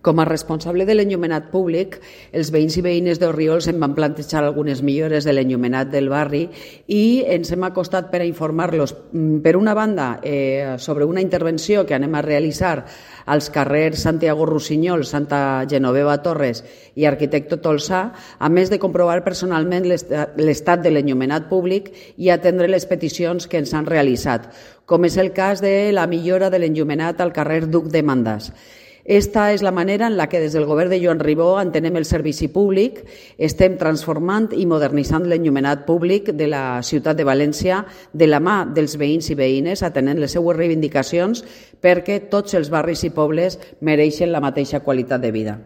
Com a responsable de l'enllumenat públic, els veïns i veïnes d'Orriols em van plantejar algunes millores de l'enllumenat del barri i ens hem acostat per a informar-los, per una banda, sobre una intervenció que anem a realitzar als carrers Santiago Rossinyol, Santa Genoveva Torres i Arquitecto Tolsà, a més de comprovar personalment l'estat de l'enllumenat públic i atendre les peticions que ens han realitzat, com és el cas de la millora de l'enllumenat al carrer Duc de Mandas. Esta és la manera en la que des del govern de Joan Ribó entenem el servici públic, estem transformant i modernitzant l'enllumenat públic de la ciutat de València de la mà dels veïns i veïnes, atenent les seues reivindicacions perquè tots els barris i pobles mereixen la mateixa qualitat de vida.